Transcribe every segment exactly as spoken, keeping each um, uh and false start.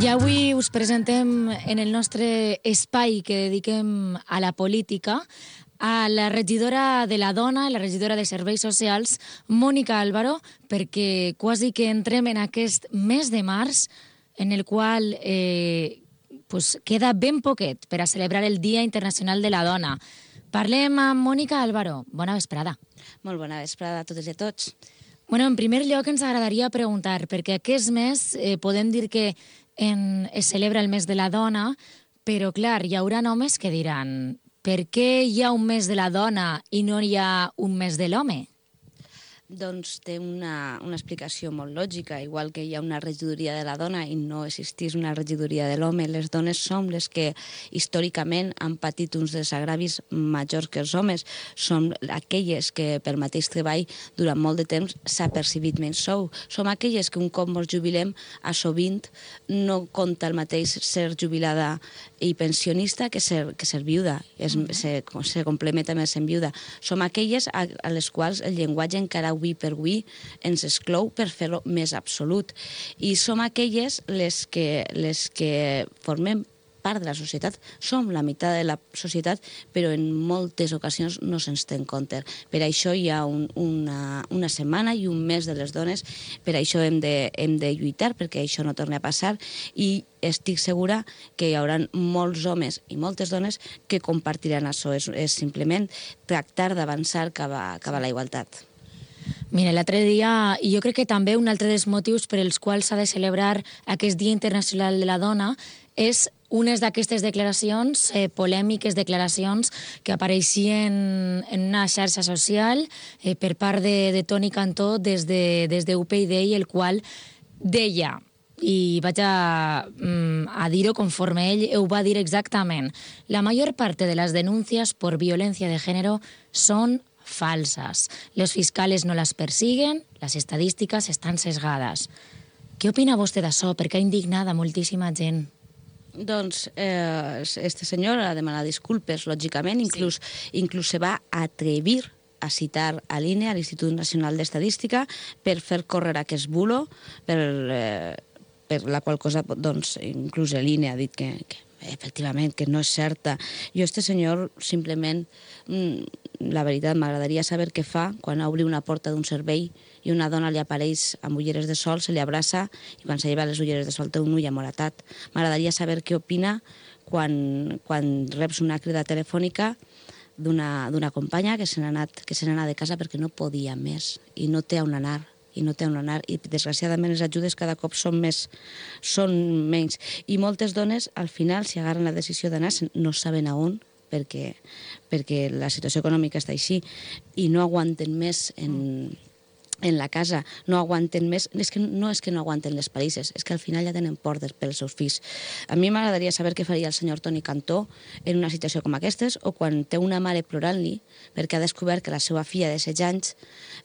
I avui us presentem en el nostre espai que dediquem a la política a la regidora de la Dona, la regidora de Serveis Socials, Mònica Álvaro, perquè quasi que entrem en aquest mes de març en el qual eh, pues queda ben poquet per a celebrar el Dia Internacional de la Dona. Parlem amb Mònica Álvaro. Bona vesprada. Molt bona vesprada a totes i a tots. Bueno, en primer lloc ens agradaria preguntar, perquè aquest mes eh, podem dir que en, es celebra el mes de la dona, però clar, hi haurà homes que diran per què hi ha un mes de la dona i no hi ha un mes de l'home? Doncs té una, una explicació molt lògica. Igual que hi ha una regidoria de la dona i no existís una regidoria de l'home, les dones som les que històricament han patit uns desagravis majors que els homes. Som aquelles que per mateix treball durant molt de temps s'ha percibit menys sou. Som aquelles que un cop ens jubilem a sovint no compta el mateix ser jubilada i pensionista que ser, que ser viuda. Es, uh -huh. se, se complementa més en viuda. Som aquelles a, a les quals el llenguatge encara avui per avui ens exclou per fer-lo més absolut. I som aquelles les que, les que formem part de la societat. Som la meitat de la societat, però en moltes ocasions no se'ns té en compte. Per això hi ha un, una, una setmana i un mes de les dones, per això hem de, hem de lluitar perquè això no torni a passar, i estic segura que hi haurà molts homes i moltes dones que compartiran això. És, és simplement tractar d'avançar cap a, cap a la igualtat. Mira, l'altre dia, i jo crec que també un altre dels motius per els quals s'ha de celebrar aquest Dia Internacional de la Dona és unes d'aquestes declaracions, eh, polèmiques declaracions que apareixien en una xarxa social eh, per part de, de Toni Cantó des de, des de U P y, el qual deia, i vaig a, a dir-ho conforme ell ho va dir exactament, la major parte de las denuncias por violencia de género son falsas. Los fiscales no las persiguen, las estadísticas estan sesgades. Què opina vostè d'això? Perquè ha indignat a moltíssima gent. Doncs eh, este senyor ha demanat disculpes, lògicament, inclús, sí. inclús se va atrevir a citar a l'I N E, a l'Institut Nacional d'Estadística, per fer córrer aquest bulo, per, eh, per la qual cosa, doncs, inclús l'I N E ha dit que, que efectivament, que no és certa. Jo, este senyor, simplement, la veritat, m'agradaria saber què fa quan obri una porta d'un servei i una dona li apareix amb ulleres de sol, se li abraça i quan se lleva les ulleres de sol té un ull amoratat. M'agradaria saber què opina quan, quan reps una crida telefònica d'una companya que se n'ha anat, que se n'ha anat de casa perquè no podia més i no té on anar. i no té on anar, i desgraciadament les ajudes cada cop són més, són menys. I moltes dones, al final, si agarren la decisió d'anar, no saben a on, perquè, perquè la situació econòmica està així, i no aguanten més en, en la casa, no aguanten més, és que no és que no aguanten les palisses, és que al final ja tenen por pels seus fills. A mi m'agradaria saber què faria el senyor Toni Cantó en una situació com aquestes, o quan té una mare plorant-li perquè ha descobert que la seva filla de setze anys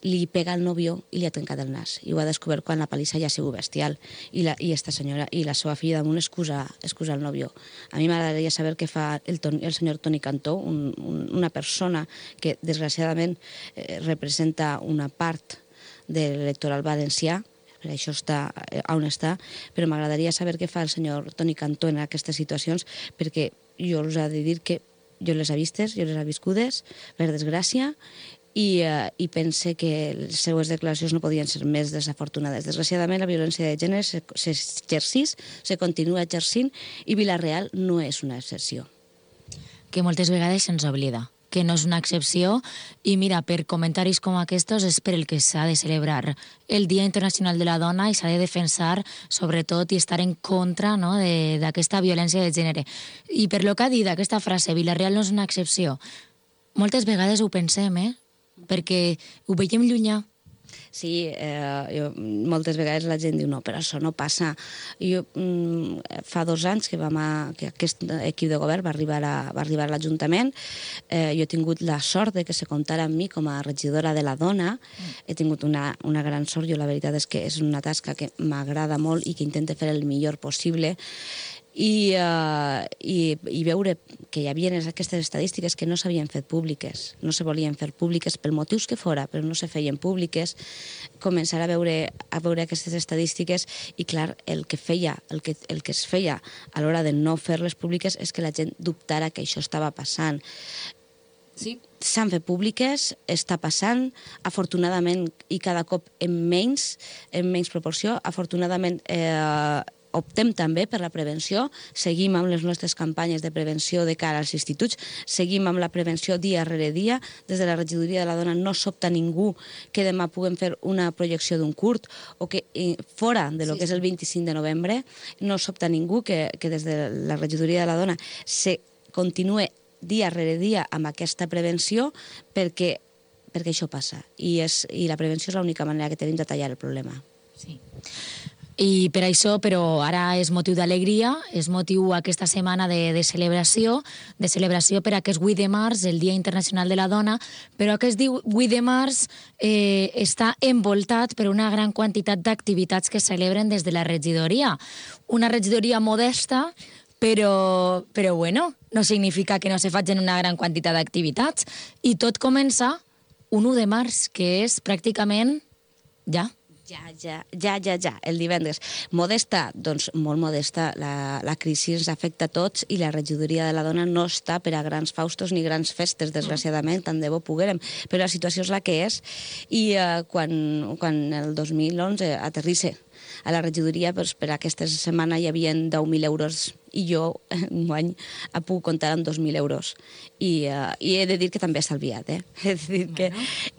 li pega al nòvio i li ha trencat el nas. I ho ha descobert quan la palissa ja ha sigut bestial. I, la, i esta senyora i la seva filla damunt excusa, excusa el nòvio. A mi m'agradaria saber què fa el, el senyor Toni Cantó, un, un, una persona que desgraciadament eh, representa una part de l'electoral valencià, per això està on està, però m'agradaria saber què fa el senyor Toni Cantó en aquestes situacions, perquè jo us he de dir que jo les he vistes, jo les he viscudes, per desgràcia, i, eh, i pense que les seues declaracions no podien ser més desafortunades. Desgraciadament, la violència de gènere s'exercís, se continua exercint, i Vila-real no és una excepció. Que moltes vegades se'ns oblida que no és una excepció, i mira, per comentaris com aquests és per el que s'ha de celebrar el Dia Internacional de la Dona i s'ha de defensar, sobretot, i estar en contra, no, d'aquesta violència de gènere. I per lo que ha dit aquesta frase, Vila-real no és una excepció, moltes vegades ho pensem, eh? Perquè ho veiem llunyà. Sí, eh, jo, moltes vegades la gent diu no, però això no passa. Jo, mm, fa dos anys que, vam a, que aquest equip de govern va arribar a, va arribar a l'Ajuntament. Eh, jo he tingut la sort de que se comptara amb mi com a regidora de la dona. Mm. He tingut una, una gran sort. Jo la veritat és que és una tasca que m'agrada molt i que intento fer el millor possible. i, uh, i, i veure que hi havia aquestes estadístiques que no s'havien fet públiques, no se volien fer públiques pel motius que fora, però no se feien públiques, començar a veure, a veure aquestes estadístiques i, clar, el que feia, el que, el que es feia a l'hora de no fer-les públiques és que la gent dubtara que això estava passant. Sí. S'han fet públiques, està passant, afortunadament, i cada cop en menys, en menys proporció, afortunadament eh, optem també per la prevenció, seguim amb les nostres campanyes de prevenció de cara als instituts, seguim amb la prevenció dia rere dia, des de la regidoria de la dona no sobta ningú que demà puguem fer una projecció d'un curt o que fora de lo sí, que és el vint-i-cinc de novembre no sobta ningú que, que des de la regidoria de la dona se continue dia rere dia amb aquesta prevenció perquè, perquè això passa i, és, i la prevenció és l'única manera que tenim de tallar el problema. Sí. I per això, però ara és motiu d'alegria, és motiu aquesta setmana de, de celebració, de celebració per aquest vuit de març, el Dia Internacional de la Dona, però aquest vuit de març eh, està envoltat per una gran quantitat d'activitats que es celebren des de la regidoria. Una regidoria modesta, però, però bueno, no significa que no se facin una gran quantitat d'activitats. I tot comença un u de març, que és pràcticament ja. Ja, ja, ja, ja, ja, el divendres. Modesta, doncs molt modesta, la, la crisi ens afecta a tots i la regidoria de la dona no està per a grans faustos ni grans festes, desgraciadament, tant de bo poguérem, però la situació és la que és i eh, quan, quan el dos mil onze aterrisse a la regidoria, doncs, per aquesta setmana hi havia deu mil euros i jo un any puc comptar amb dos mil euros. I, uh, I he de dir que també he estalviat. Eh? He de dir que,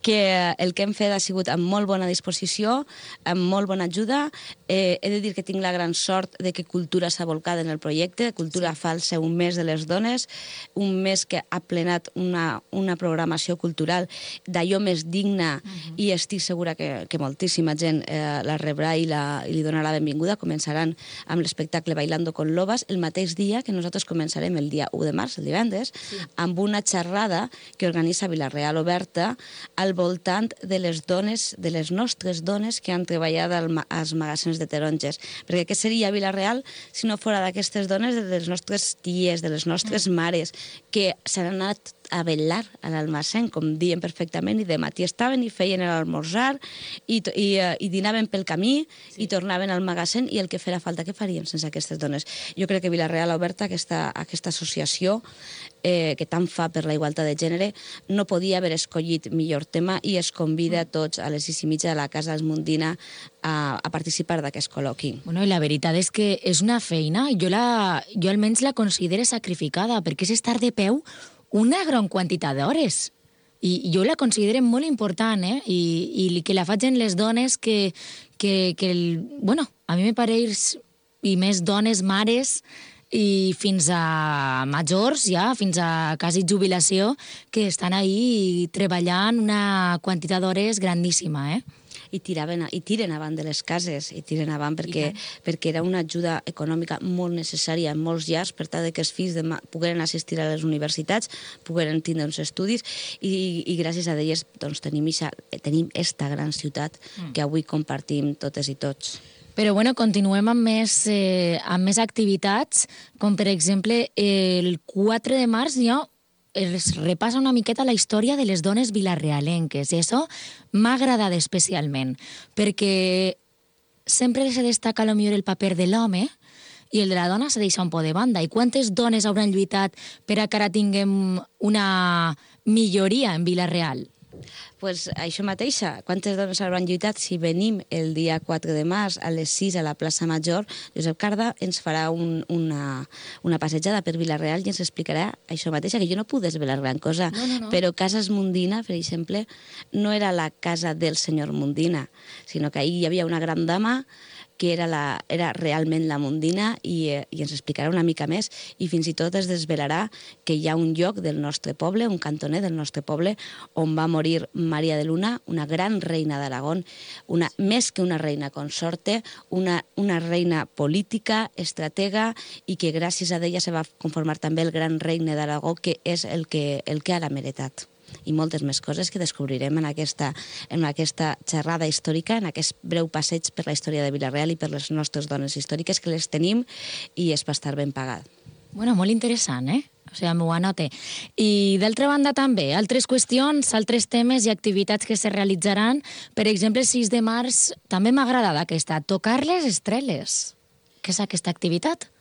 que el que hem fet ha sigut amb molt bona disposició, amb molt bona ajuda. Eh, he de dir que tinc la gran sort de que Cultura s'ha volcat en el projecte. Cultura sí. fa el seu mes de les dones, un mes que ha plenat una, una programació cultural d'allò més digna uh-huh. i estic segura que, que moltíssima gent eh, la rebrà i, la, i li donarà la benvinguda. Començaran amb l'espectacle Bailando con Lobas, el mateix dia que nosaltres començarem el dia u de març, el divendres, sí. amb una xerrada que organitza Vila-real Oberta al voltant de les dones, de les nostres dones que han treballat als magatzins de taronges. Perquè què seria Vila-real si no fora d'aquestes dones, de les nostres ties, de les nostres mm. mares, que s'han anat a vetllar a l'almacén, com diem perfectament, i de matí estaven i feien l'esmorzar i, i, i dinaven pel camí sí. i tornaven al magatzin i el que farà falta, què farien sense aquestes dones? Jo crec que Vila-real Oberta, aquesta, aquesta associació eh, que tant fa per la igualtat de gènere, no podia haver escollit millor tema i es convida a tots a les sis i mitja de la Casa Esmundina a, a participar d'aquest col·loqui. Bueno, i la veritat és que és una feina, jo, la, jo almenys la considero sacrificada, perquè és estar de peu una gran quantitat d'hores. I jo la considero molt important, eh? I, i que la facin les dones que, que, que el, bueno, a mi me pareix, i més dones, mares, i fins a majors, ja, fins a quasi jubilació, que estan ahí treballant una quantitat d'hores grandíssima, eh? I, tiraven, i tiren avant de les cases, i tiren avant perquè, perquè era una ajuda econòmica molt necessària en molts llars per tal que els fills de, pogueren assistir a les universitats, pogueren tindre uns estudis i, i gràcies a elles doncs, tenim, ixa, tenim esta gran ciutat mm. que avui compartim totes i tots. Però bueno, continuem amb més, eh, amb més activitats, com per exemple el quatre de març hi ha es repassa una miqueta la història de les dones vilarrealenques i això m'ha agradat especialment perquè sempre se destaca potser el paper de l'home i el de la dona se deixa un poc de banda. I quantes dones hauran lluitat per a que ara tinguem una milloria en Vila-real? Pues això mateixa, quantes dones hauran lluitat si venim el dia quatre de març a les sis a la plaça Major. Josep Carda ens farà un, una, una passejada per Vila-real i ens explicarà això mateixa, que jo no puc desvelar gran cosa, no, no, no. però Casa Esmundina, per exemple, no era la casa del senyor Mundina, sinó que ahir hi havia una gran dama que era, la, era realment la Mundina i, eh, i ens explicarà una mica més i fins i tot es desvelarà que hi ha un lloc del nostre poble, un cantoner del nostre poble, on va morir Maria de Luna, una gran reina d'Aragón, una, més que una reina consorte, una, una reina política, estratega, i que gràcies a ella se va conformar també el gran regne d'Aragó, que és el que, el que ara ha meritat. i moltes més coses que descobrirem en aquesta, en aquesta xerrada històrica, en aquest breu passeig per la història de Vila-real i per les nostres dones històriques, que les tenim i és per estar ben pagat. Bueno, molt interessant, eh? O sigui, m'ho anote. I d'altra banda també, altres qüestions, altres temes i activitats que se realitzaran. Per exemple, el sis de març, també m'ha agradat aquesta, tocar les estreles. Què és aquesta activitat?